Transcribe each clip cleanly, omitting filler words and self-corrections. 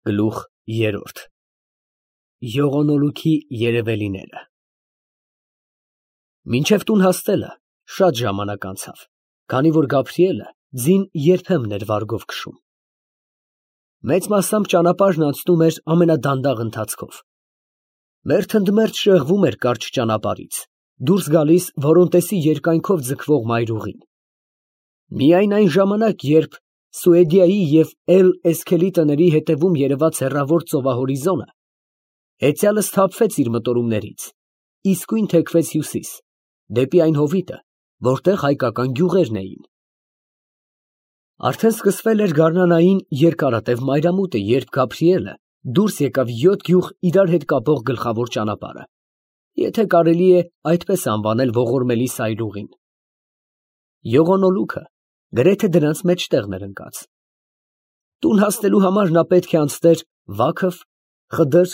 Գլուխ երրորդ Յողոնոլուքի երևելիները Մինչև տուն հասնելը շատ ժամանակ անցավ, քանի որ Գաբրիելը ձին երբեմն էր վարգով քշում։ Մեծ մասամբ ճանապարհն անցնում էր ամենադանդաղ ընթացքով։ Մերթ ընդ մերթ շեղվում էր կարճ ճանապարհից, դուրս գալիս Որոնտեսի երկայնքով ձգվող մայրուղին։ Միայն այն ժամանակ, երբ Սուեդիայի և Էլ Էսքելի տների հետևում երևաց հեռավոր ծովահորիզոնը, հեծյալը սթափվեց իր մտորումներից, իսկույն թեքվեց հյուսիս, դեպի այն հովիտը, որտեղ հայկական գյուղերն էին։ Արդեն սկսվել էր գարնանային երկարատև մայրամուտը, երբ Գաբրիելը դուրս եկավ 7 գյուղ իրար հետ կապող գլխավոր ճանապարհը, եթե կարելի է այդպես անվանել ողորմելի սայրուղին։ Յողոնոլուքը գրեթե դրանց մեջտեղն էր ընկած։ Տուն հասնելու համար նա պետք է անցներ Վաքֆ, Խդր,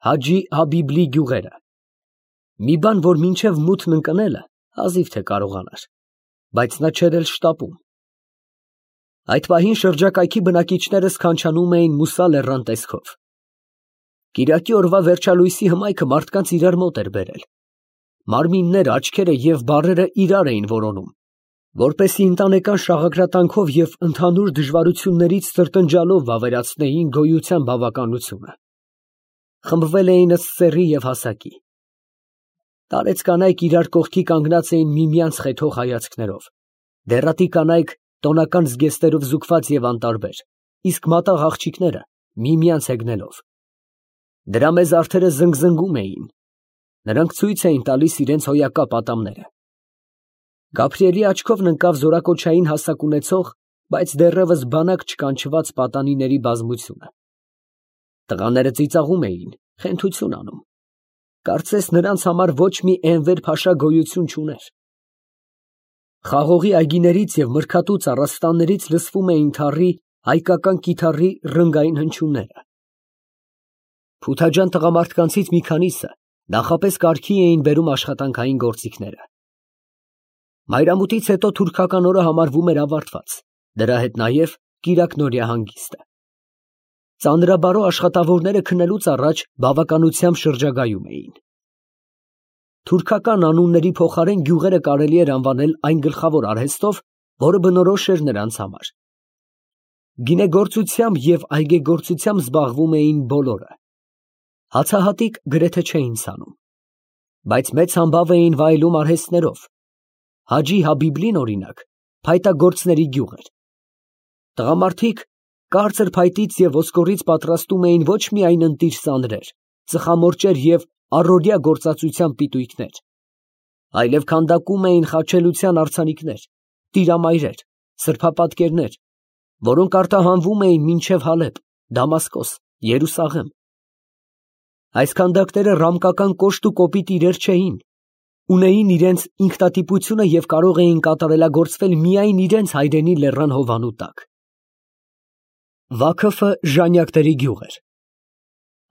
Հաջի Հաբիբլի գյուղերը։ Մի բան, որ մինչև մութն ընկնելը հազիվ թե կարողանար, բայց նա չէր էլ շտապում։ Այդ պահին շրջակայքի բնակիչները սքանչանում էին Մուսա լեռան տեսքով։ Կիրակի օրվա վերջալույսի հմայքը մարդկանց իրար մոտ էր բերել։ Մարմինները, աչքերը և բառերը իրար էին որոնում, որպեսզի ընտանեկան շաղակրատանքով և ընդհանուր դժվարություններից սրտնջալով վավերացնեին գոյության բավականությունը։ Խմբվել էին ըստ սեռի և հասակի։ Տարեց կանայք իրար կողքի կանգնած էին միմյանց խեթող հայացքներով, դեռատի կանայք տոնական զգեստերով զուգված և անտարբեր, իսկ մատաղ աղջիկները միմյանց հեգնելով։ Դրամեզ արդերը զնգզնգում էին, նրանք ցույց էին տալիս իրենց հոյակապ ատամները։ Գաբրիելի աչքովն ընկավ զորակոչային հասակ ունեցող, բայց դեռևս բանակ չկանչված պատանիների բազմությունը։ Տղաները ծիծաղում էին, խենթություն անում, կարծես նրանց համար ոչ մի Էնվեր փաշա գոյություն չուներ։ Խաղողի այգիներից և մրգատու ծառաստաններից լսվում էին թառի, հայկական կիթառի ռնգային հնչյունները։ Փութաջան տղամարդկանցից մի քանիսը նախապես կարգի էին բերում աշխատանքային գործիքները։ Մայրամուտից հետո թուրքական օրը համարվում էր ավարտված, դրա հետ նաև կիրակնօրյա հանգիստը։ Ծանրաբարո աշխատավորները քնելուց առաջ բավականությամբ շրջագայում էին։ Թուրքական անունների փոխարեն գյուղերը կարելի էր անվանել այն գլխավոր արհեստով, որը բնորոշ էր նրանց համար։ Գինեգործությամբ և այգեգործությամբ զբաղվում էին բոլորը։ Հացահատիկ գրեթե չէին ցանում, բայց մեծ համբավ էին վայելում արհեստներով։ Հաջի Հաբիբլին, օրինակ, փայտագործների գյուղ էր։ Տղամարդիկ կարծր փայտից և ոսկորից պատրաստում էին ոչ միայն ընտիր սանրեր, ծխամորճեր և առօրյա գործածության պիտույքներ, այլև քանդակում էին խաչելության արձանիկներ, տիրամայրեր, սրբապատկերներ, որոնք արտահանվում էին մինչև Հալեբ, Դամասկոս, Երուսաղեմ։ Այս քանդակները ռամկական կոշտ ու կոպիտ իրեր չէին, ունեին իրենց ինքնատիպությունը և կարող էին կատարելագործվել միայն իրենց հայրենի լեռան հովանու տակ։ Վաքֆը ժանյակների գյուղ էր։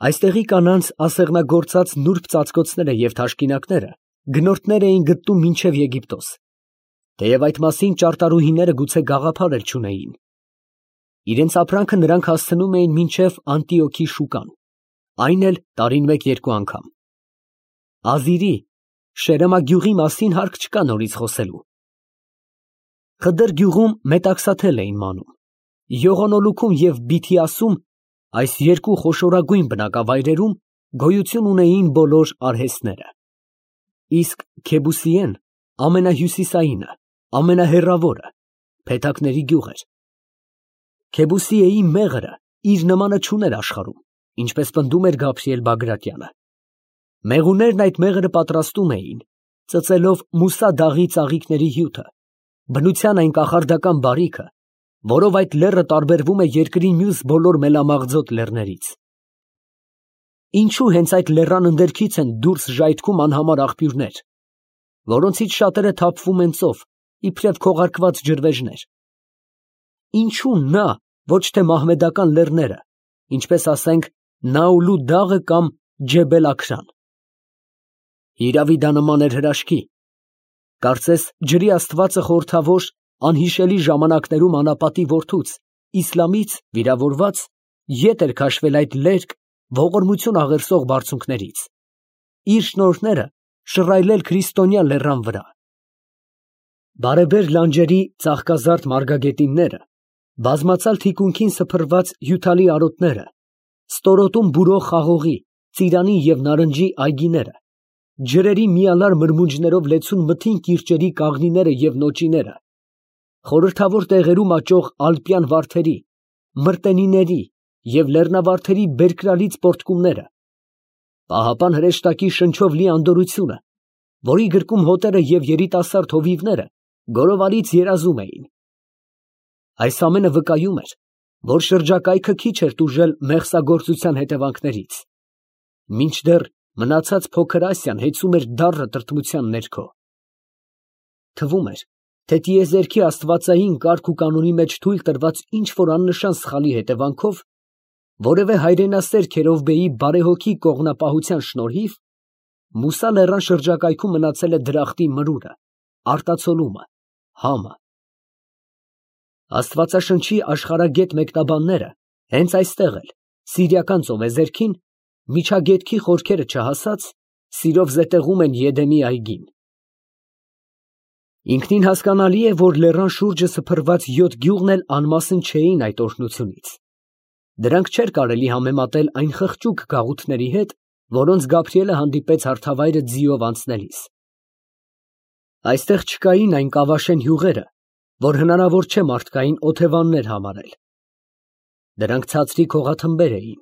Այստեղի կանանց ասեղնագործած նուրբ ծածկոցները և թաշկինակները գնորդներ էին գտնում մինչև Եգիպտոս, թեև այդ մասին ճարտարուհիները գուցե գաղափար էլ չունեին։ Իրենց ապրանքը նրանք հասցնում էին մինչև Անտիոքի շուկան, այն էլ տարին մեկ֊երկու անգամ։ Ազիրի, Շերեմա գյուղի մասին հարկ չկա նորից խոսելու։ Խդր գյուղում մետաքսաթել էին մանում։ Յողոնոլուքում և Բիթիասում, այս երկու խոշորագույն բնակավայրերում, գոյություն ունեին բոլոր արհեստները։ Իսկ Քեբուսիեն ամենահյուսիսայինը, ամենահեռավորը, փեթակների գյուղ էր։ Քեբուսիեի մեղրը իր նմանը չուներ աշխարհում, ինչպես պնդում էր Գաբրիել Բագրատյանը։ Մեղուներն այդ մեղրը պատրաստում էին, ծծելով Մուսա դաղի ծաղիկների հյութը, բնության այն կախարդական բարիքը, որով այդ լեռը տարբերվում է երկրի մյուս բոլոր մելամաղձոտ լեռներից։ Ինչու հենց այդ լեռան ընդերքից են դուրս ժայթքում անհամար աղբյուրներ, որոնցից շատերը թափվում են ծով, իբրև քողարկված ջրվեժներ։ Ինչու նա, ոչ թե մահմեդական լեռները, ինչպես ասենք Նաուլու դաղը կամ Ջեբել Աքրան։ Հիրավի դա նման էր հրաշքի, կարծես ջրի աստվածը խորհրդավոր անհիշելի ժամանակներում անապատի որդուց, Իսլամից վիրավորված ետ էր քաշվել այդ լերկ ողորմություն աղերսող բարձունքներից, իր շնորհները շռայլել քրիստոնյա լեռան վրա։ Բարեբեր լանջերի ծաղկազարդ մարգագետինները, բազմացալ թիկունքին սփռված հյութալի արոտները, ստորոտում բուրող խաղողի, ծիրանի և նարնջի այգիները, ջրերի միալար մրմունջներով լեցուն մթին կիրճերի կաղնիները և նոճիները, խորհրդավոր տեղերում աճող ալպյան վարդերի, մրտենիների և լեռնավարդերի բերկրալից պոռթկումները, պահապան հրեշտակի շնչով լի անդորրությունը, որի գրկում հոտերը և երիտասարդ հովիվները գորովալից երազում էին։ Այս ամենը վկայում էր, որ շրջակայքը քիչ էր տուժել մեղսագործության հետևանքներից, մինչդեռ մնացած փոքր Ասիան հեծում էր դառը տրտմության ներքո։ Թվում էր, թե տիեզերքի աստվածային կարգ ու կանոնի մեջ թույլ տրված ինչ֊որ աննշան սխալի հետևանքով, որևէ հայրենասեր Քերովբեի բարեհոգի կողմնապահության շնորհիվ, Մուսա լեռան շրջակայքում մնացել է դրախտի մրուրը, արտացոլումը, համը։ Աստվածաշնչի աշխարհագետ մեկնաբանները հենց այստեղ էլ, Սիրիական ծովեզերքին, միջագետքի խորքերը չհասած, սիրով զետեղում են Եդեմի այգին։ Ինքնին հասկանալի է, որ լեռան շուրջը սփռված 7 գյուղն էլ անմասն չէին այդ օրհնությունից։ Դրանք չէր կարելի համեմատել այն խղճուկ գաղութների հետ, որոնց Գաբրիելը հանդիպեց հարթավայրը ձիով անցնելիս։ Այստեղ չկային այն կավաշեն հյուղերը, որ հնարավոր չէ մարդկային օթևաններ համարել։ Դրանք ցածրիկ հողաթմբեր էին,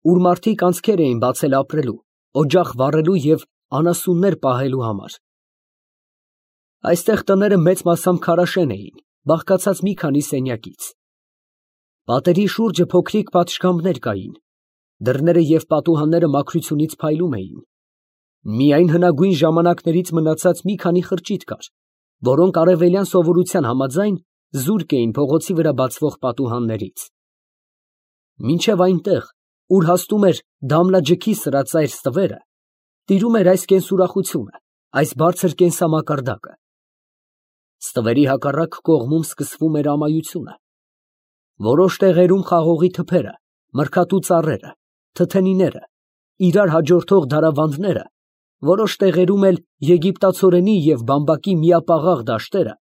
ուր մարդիկ անցքեր էին բացել ապրելու, օջախ վառելու և անասուններ պահելու համար։ Այստեղ տները մեծ մասամբ քարաշեն էին, բաղկացած մի քանի սենյակից։ Պատերի շուրջը փոքրիկ պատշգամբներ կային, դռները և պատուհանները մաքրությունից փայլում էին։ Միայն հնագույն ժամանակներից մնացած մի քանի խրճիթ կար, որոնք արևելյան սովորության համաձայն զուրկ էին փողոցի վրա բացվող պատուհաններից։ Մինչև այնտեղ, ուր հասնում էր Դամլաջքի սրածայր ստվերը, տիրում էր այս կենսուրախությունը, այս բարձր կենսամակարդակը։ Ստվերի հակառակ կողմում սկսվում էր ամայությունը։ Որոշ տեղերում խաղողի թփերը, մրգատու ծառերը, թթենիները, իրար հաջորդող դարավանդները, որոշ տեղերում էլ եգիպտացորենի և բամբակի միապաղաղ դաշտերը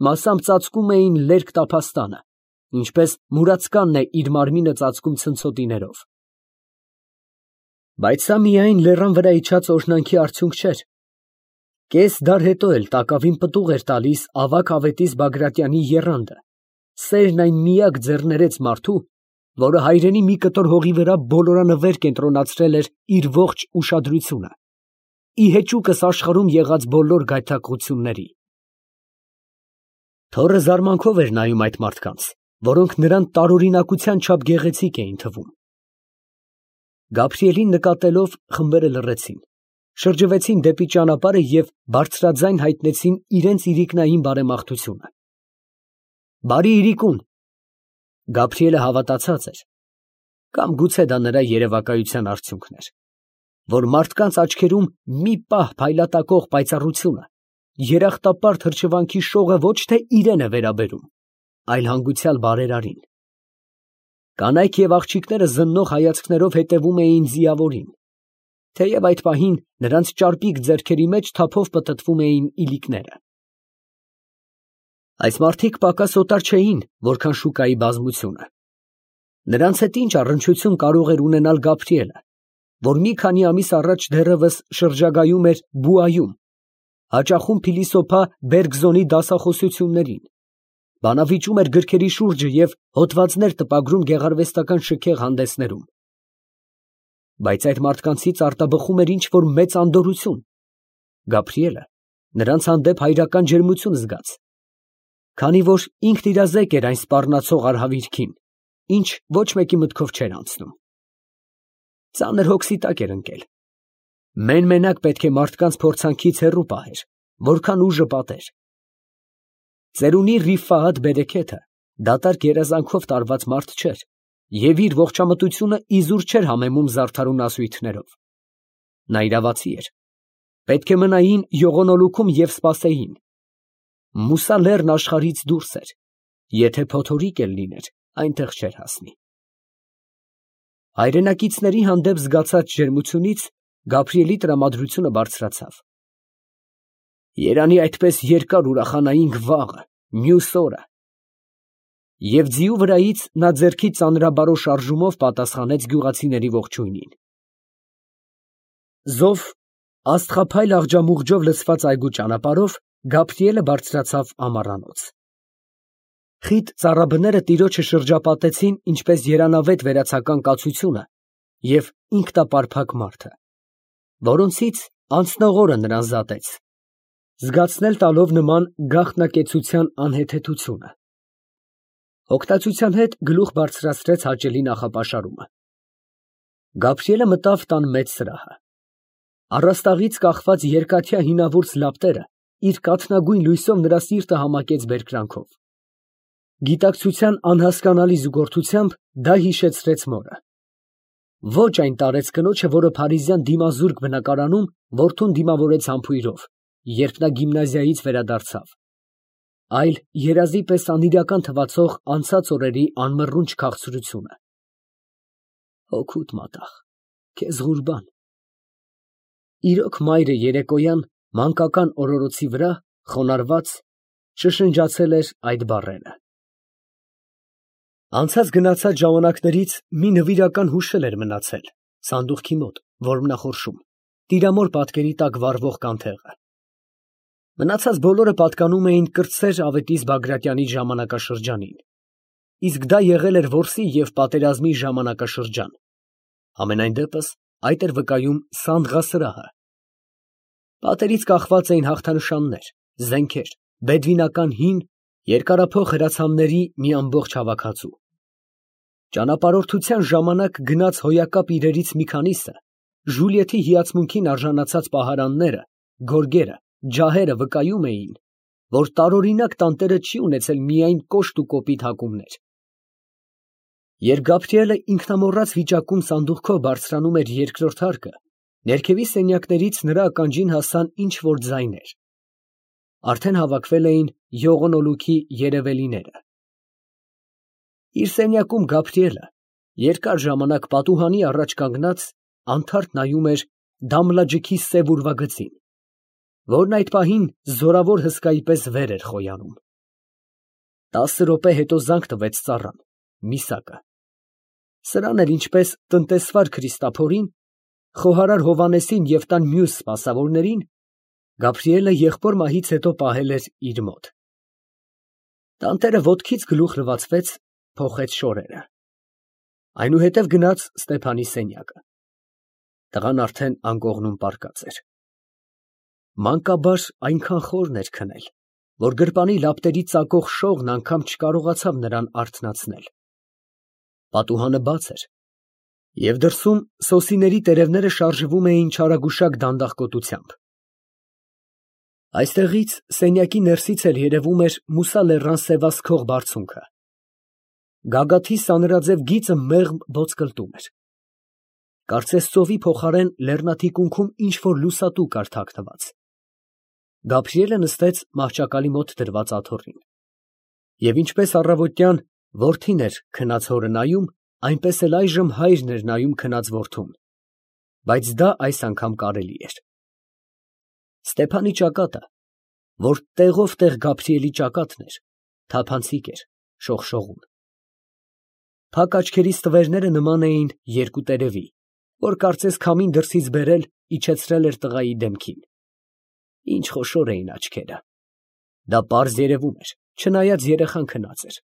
մասամբ ծածկում էին լերկ տափաստանը, ինչպես մուրացկանն է իր մարմինը ծածկում ցնցոտիներով։ Բայց սա միայն լեռան վրա իջած օրհնանքի արդյունք չէր։ Կես դար հետո էլ տակավին պտուղ էր տալիս ավագ Ավետիս Բագրատյանի եռանդը, սերն այն միակ ձեռներեց մարդու, որը հայրենի մի կտոր հողի վրա բոլորանվեր կենտրոնացրել էր իր ողջ ուշադրությունը, ի հեճուկս աշխարհում եղած բոլոր գայթակղությունների։ Թոռը զարմանքով էր նայում այդ մարդկանց, որոնք նրան տարօրինակության չափ գեղեցիկ էին թվում։ Գաբրիելին նկատելով, խմբերը լռեցին, շրջվեցին դեպի ճանապարհը և բարձրաձայն հայտնեցին իրենց իրիկնային բարեմաղթությունը։ Բարի իրիկուն։ Գաբրիելը հավատացած էր, կամ գուցե դա նրա երևակայության արդյունքն էր, որ մարդկանց աչքերում մի պահ փայլատակող պայծառությունը, երախտապարտ հրճվանքի շողը ոչ թե իրեն է վերաբերում, այլ հանգուցյալ բարերարին։ Կանայք և աղջիկները զննող հայացքներով հետևում էին ձիավորին, թեև այդ պահին նրանց ճարպիկ ձեռքերի մեջ թափով պտտվում էին իլիկները։ Այս մարդիկ պակաս օտար չէին, որքան շուկայի բազմությունը։ Նրանց հետ ինչ առնչություն կարող էր ունենալ Գաբրիելը, որ մի քանի ամիս առաջ դեռևս շրջագայում էր Բուայում, հաճախում փիլիսոփա Բերգզոնի դասախոսություններին, բանավիճում էր գրքերի շուրջը և հոդվածներ տպագրում գեղարվեստական շքեղ հանդեսներում։ Բայց այդ մարդկանցից արտաբխում էր ինչ֊որ մեծ անդորրություն։ Գաբրիելը նրանց հանդեպ հայրական ջերմություն զգաց, քանի որ ինքն իրազեկ էր այն սպառնացող արհավիրքին, ինչ ոչ մեկի մտքով չէր անցնում։ Ծանր հոգսի տակ էր ընկել։ Մեն֊մենակ պետք է մարդկանց փորձանքից հեռու պահեր, որքան ուժը պատեր։ Ծերունի Ռիֆահաթ Բերեքեթը դատարկ երազանքով տարված մարդ չէր և իր ողջամտությունը իզուր չէր համեմում զարդարուն ասույթներով։ Նա իրավացի էր։ Պետք է մնային յողոնոլուքում և սպասեին։ Մուսա լեռն աշխարհից դուրս էր, եթե փոթորիկ էլ լիներ, այնտեղ չէր հասնի։ Հայրենակիցների հանդեպ զգացած ջերմությունից Գաբրիելի տրամադրությունը բարձրացավ։ Երանի այդպես երկար ուրախանայինք վաղը, մյուս օրը։ Եվ ձիու վրայից նա ձեռքի ծանրաբարո շարժումով պատասխանեց գյուղացիների ողջույնին։ Զով աստղափայլ աղջամուղջով լցված այգու ճանապարհով Գաբրիելը բարձրացավ ամառանոց։ Խիտ ծառաբները տիրոջը շրջապատեցին ինչպես երանավետ վերացական կացությունը և ինքնապարփակ մարդը, որոնցից անցնող օրը նրան զատեց, զգացնել տալով նման գաղտնակեցության անհեթեթությունը։ Հոգտացության հետ գլուխ բարձրացրեց հաճելի նախապաշարումը։ Գաբրիելը մտավ տան մեծ սրահը։ Առաստաղից կախված երկաթյա հինավուրց լապտերը իր կաթնագույն լույսով նրա սիրտը համակեց բերկրանքով։ Գիտակցության անհասկանալի զուգորդությամբ դա հիշեցրեց մորը։ Ոչ այն տարեց կնոջը, որը փարիզյան դիմազուրկ բնակարանում որդուն դիմավորեց համբույրով, երբ նա գիմնազիայից վերադարձավ, այլ երազի պես անիրական թվացող անցած օրերի անմռունչ քաղցրությունը։ Հոգուտ մատաղ, քեզ ղուրբան։ Իրոք մայրը երեկոյան մանկական օրորոցի վրա, խոնարհված, շշնջացել էր այդ բառերը։ Անցած գնացած ժամանակներից մի նվիրական հուշ էր մնացել սանդուղքի մոտ, որմնախորշում, տիրամոր պատկերի տակ վառվող կանթեղը։ Մնացած բոլորը պատկանում էին կրտսեր Ավետիս Բագրատյանի ժամանակաշրջանին, իսկ դա եղել էր որսի և պատերազմի ժամանակաշրջան, համենայն դեպս այդ էր վկայում Սանդղասրահը։ Պատերից կախված էին հաղթանշաններ, զենքեր, բեդվինական հին, երկարափող հրացանների մի ամբողջ հավաքածու։ Ճանապարհորդության ժամանակ գնած հոյակապ իրերից մի քանիսը, Ժուլիեթի հիացմունքին արժանացած պահարանները, գորգերը, ջահերը վկայում էին, որ տարօրինակ տանտերը չի ունեցել միայն կոշտ ու կոպիտ հակումներ։ Երբ Գաբրիելը ինքնամոռաց վիճակում սանդուղքով բարձրանում էր երկրորդ հարկը, ներքևի սենյակներից նրա ականջին հասան ինչ֊որ ձայներ։ Արդեն հավաքվել էին յողոնոլուքի երևելիները։ Իր սենյակում Գաբրիելը երկար ժամանակ պատուհանի առաջ կանգնած անթարթ նայում էր Դամլաջքի սև ուրվագծին, որն այդ պահին զորավոր հսկայի պես վեր էր խոյանում։ 10 րոպե հետո զանգ տվեց ծառան, միսակը։ Սրան էլ ինչպես տնտեսվար Քրիստափորին, խոհարար Հովհաննեսին և տան մյուս սպասավորներին, Գաբրիելը եղբոր մահից հետո պահել էր իր մոտ։ Տանտերը ոտքից գլուխ լվացվեց, փոխեց շորերը։ Այնուհետև գնաց Ստեփանի սենյակը։ Տղան արդեն անկողնում պառկած էր։ Մանկաբար այնքան խորն էր քնել, որ գրպանի լապտերի ծակող շողն անգամ չկարողացավ նրան արթնացնել։ Պատուհանը բաց էր, և դրսում սոսիների տերևները շարժվում էին չարագուշակ դանդաղկոտությամբ։ Այստեղից սենյակի ներսից էլ երևում էր Մուսա լեռան սևացքող բարձունքը։ Գագաթի սանրաձև գիծը մեղմ ոսկլտում էր։ Կարծես ծովի փոխարեն լեռնաթիկունքում ինչ֊որ լուսատու կար թաքնված։ Գաբրիելը նստեց մահճակալի մոտ դրված աթոռին, և ինչպես առավոտյան որդին էր քնած հորը նայում, այնպես էլ այժմ հայրն էր նայում քնած որդուն, բայց դա այս անգամ կարելի էր։ Ստեփանի ճակատը, որ տեղով տեղ Գաբրիելի ճակատն էր, թափանցիկ էր, շողշողուն։ Փակ աչքերից տվերները նման էին երկու տերևի, որ կարծես քամին դրսից բերել իջեցրել էր տղայի դեմքին։ Ինչ խոշոր էին աչքերը։ Դա պարզ երևում էր, չնայած երեխան քնած էր։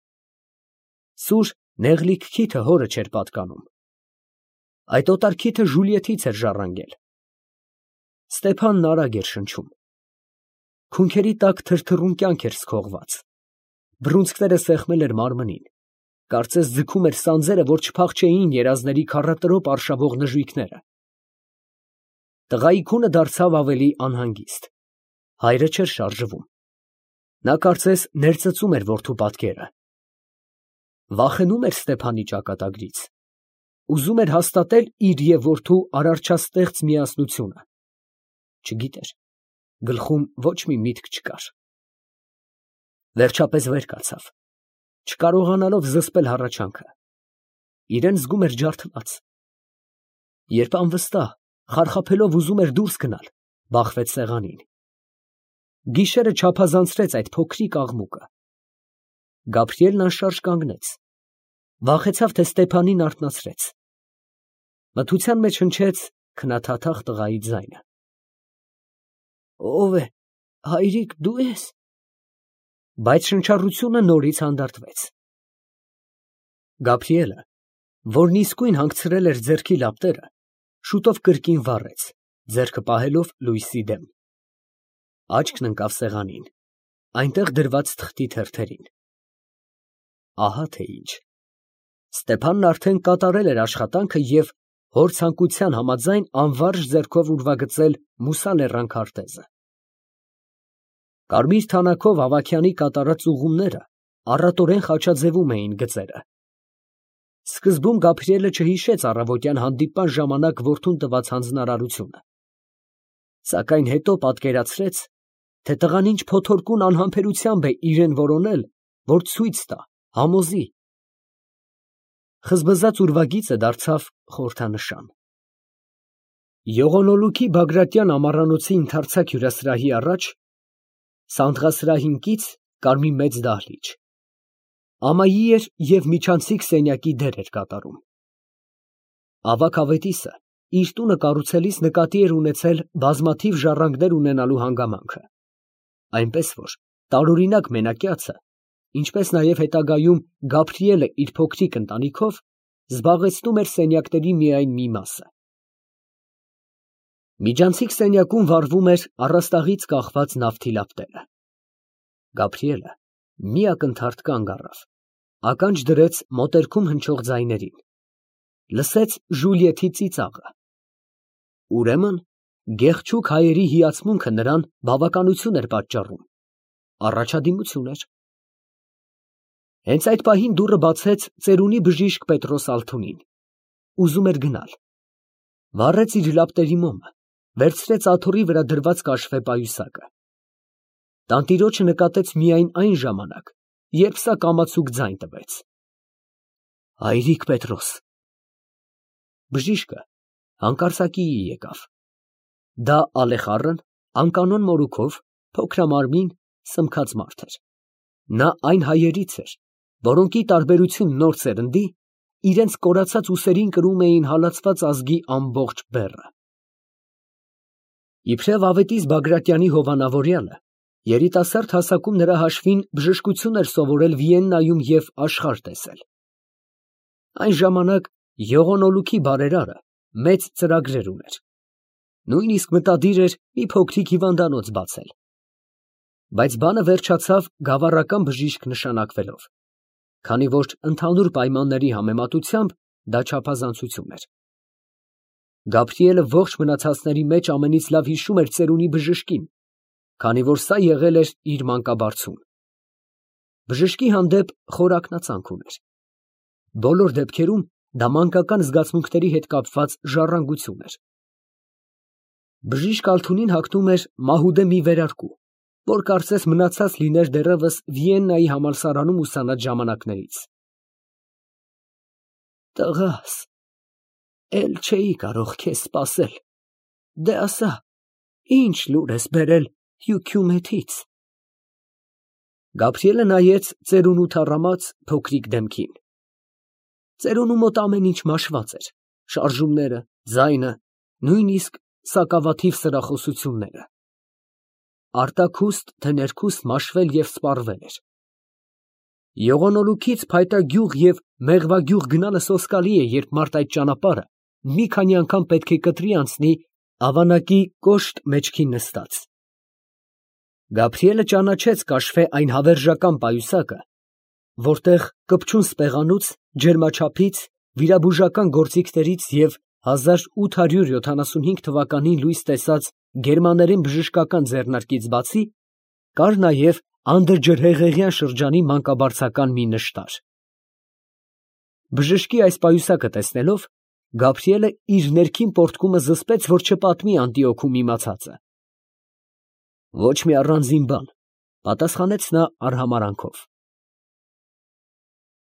Սուր նեղլիկ քիթը հորը չէր պատկանում։ Այդ օտար քիթը Ժուլիեթից էր ժառանգել։ Ստեփանն արագ էր շնչում։ Քունքերի տակ թրթռուն կյանք էր սքողված։ Բռունցքները սեղմել էր մարմնին, կարծես ձգում էր սանձերը, որ չփախչեին երազների քառատրոպ արշավող նժույգները։ Տղայի քունը դարձավ ավելի անհանգիստ։ Հայրը չէր շարժվում։ Նա կարծես ներծծում էր որդու պատկերը։ Վախենում էր Ստեփանի ճակատագրից։ Ուզում էր հաստատել իր և որդու արարչաստեղծ միասնությունը։ Չգիտեր, գլխում ոչ մի միտք չկար։ Վերջապես վեր կացավ, չկարողանալով զսպել հառաչանքը։ Իրան զգում էր ջարդված, Երբ անվստահ, խարխափելով ուզում էր դուրս գնալ, բախվեց սեղանին։ Գիշերը չափազանցրեց այդ փոքրիկ աղմուկը։ Գաբրիելն անշարժ կանգնեց, վախեցավ, թե Ստեփանին արթնացրեց։ Մթության մեջ հնչեց քնաթաթախ տղայի ձայնը։ Ո՞վ է, հայրիկ, դու ես։ Բայց շնչառությունը նորից հանդարտվեց։ Գաբրիելը, որն իսկույն հանգցրել էր ձեռքի լապտերը, շուտով կրկին վառեց, ձեռքը պահելով լույսի դեմ։ Աչքն ընկավ սեղանին, այնտեղ դրված թղթի թերթերին։ Ահա թե ինչ։ Ստեփանն արդեն կատարել էր աշխատանքը և հոր ցանկության համաձայն անվարժ ձեռքով ուրվագծել Մուսա լեռան քարտեզը։ Կարմիր թանաքով Ավագյանի կատարած ուղումները առատորեն խաչաձևում էին գծերը։ Սկզբում Գաբրիելը չհիշեց առավոտյան հանդիպման ժամանակ որդուն տված հանձնարարությունը, սակայն հետո պատկերացրեց, թե տղան ինչ փոթորկուն անհամբերությամբ է իրեն որոնել, որ ցույց տա, համոզի։ Խզբզած ուրվագիծը դարձավ խորհրդանշան։ Եղոնոլուքի Բագրատյան ամառանոցի ընդարձակ հյուրասրահի առաջ սանդղասրահին կից կար մի մեծ դահլիճ։ Ամայի էր և միջանցիկ սենյակի դեր էր կատարում։ Ավագ ավետիսը իր տունը կառուցելիս նկատի էր ունեցել բազմաթիվ ժառանգներ ունենալու հանգամանքը, այնպես որ տարօրինակ մենակյացը, ինչպես նաև հետագայում Գաբրիելը իր փոքրիկ ընտանիքով, զբաղեցնում էր սենյակների միայն մի մասը։ Միջանցիկ սենյակում վառվում էր առաստաղից կախված նավթի լապտերը։ Գաբրիելը մի ակնթարթ կանգ առավ, ականջ դրեց մոտերքում հնչող ձայներին, լսեց Ժուլիեթի ծիծաղը։ Ուրեմն գեղչուկ հայերի հիացմունքը նրան բավականություն էր պատճառում, առաջադիմություն էր։ Հենց այդ պահին դուռը բացեց ծերունի բժիշկ Պետրոս Ալթունին, ուզում էր գնալ։ Վառեց իր լապտերի մոմը, վերցրեց աթոռի վրա դրված կաշվե պայուսակը։ Տանտիրոջը նկատեց միայն այն ժամանակ, երբ սա կամացուկ ձայն տվեց։ Հայրիկ Պետրոս։ Բժիշկը հանկարծակիի եկավ։ Դա Ալեխառն, անկանոն մորուքով, փոքրամարմին, սմքած մարդ էր։ Նա այն հայերից էր, որոնք ի տարբերություն նոր սերնդի, իրենց կորացած ուսերին կրում էին հալածված ազգի ամբողջ բեռը։ Իբրև ավետիս Բագրատյանի հովանավորյալը, երիտասարդ հասակում նրա հաշվին բժշկություն էր սովորել Վիեննայում և աշխարհ տեսել։ Այն ժամանակ Եղոնոլուքի բարերարը մեծ ծրագրեր ուներ, նույնիսկ մտադիր էր մի փոքրիկ հիվանդանոց բացել։ Բայց բանը վերջացավ գավառական բժիշկ նշանակվելով, քանի որ ընդհանուր պայմանների համեմատությամբ դա չափազանցություն էր։ Գաբրիելը ողջ մնացածների մեջ ամենից լավ հիշում էր ծերունի բժշկին, քանի որ սա եղել էր իր մանկաբարձուն։ Բժշկի հանդեպ խոր ակնածանք ուներ։ Բոլոր դեպքերում դա մանկական զգացմունքների հետ կապված ժառանգություն էր։ Բժիշկ Ալթունին հագնում էր մահուդե մի վերարկու, որ կարծես մնացած լիներ դեռևս Վիեննայի համալսարանում ուսանած ժամանակներից։ Տղաս, էլ չէի կարող քեզ սպասել, դե ասա, ինչ լուր ես բերել Հյուքյումեթից։ Գաբրիելը նայեց ծերունու թառամած փոքրիկ դեմքին։ Ծերունու մոտ ամեն ինչ մաշված էր, շարժումները, ձայնը, նույնիսկ սակավաթիվ սրախոսությունները։ Արտաքուստ թե ներքուստ մաշվել և սպառվել էր։ Եղոնոլուքից Փայտագյուղ և Մեղվագյուղ գնալը սոսկալի է, երբ մարդ այդ ճանապարհը մի քանի անգամ պետք է կտրի անցնի ավանակի կոշտ մեջքին նստած։ Գաբրիելը ճանաչեց կաշվե այն հավերժական պայուսակը, որտեղ կպչուն սպեղանուց, ջերմաչափից, վիրաբուժական գործիքներից և 1875 թվականին լույս տեսած գերմաներեն բժշկական ձեռնարկից բացի, կար նաև անդրջրհեղեղյան շրջանի մանկաբարձական մի նշտար։ Բժշկի այս պայուսակը տեսնելով, Գաբրիելը իր ներքին պոռթկումը զսպեց, որ չպատմի Անդիոքում իմացածը։ Ոչ մի առանձին բան, պատասխանեց նա արհամարանքով։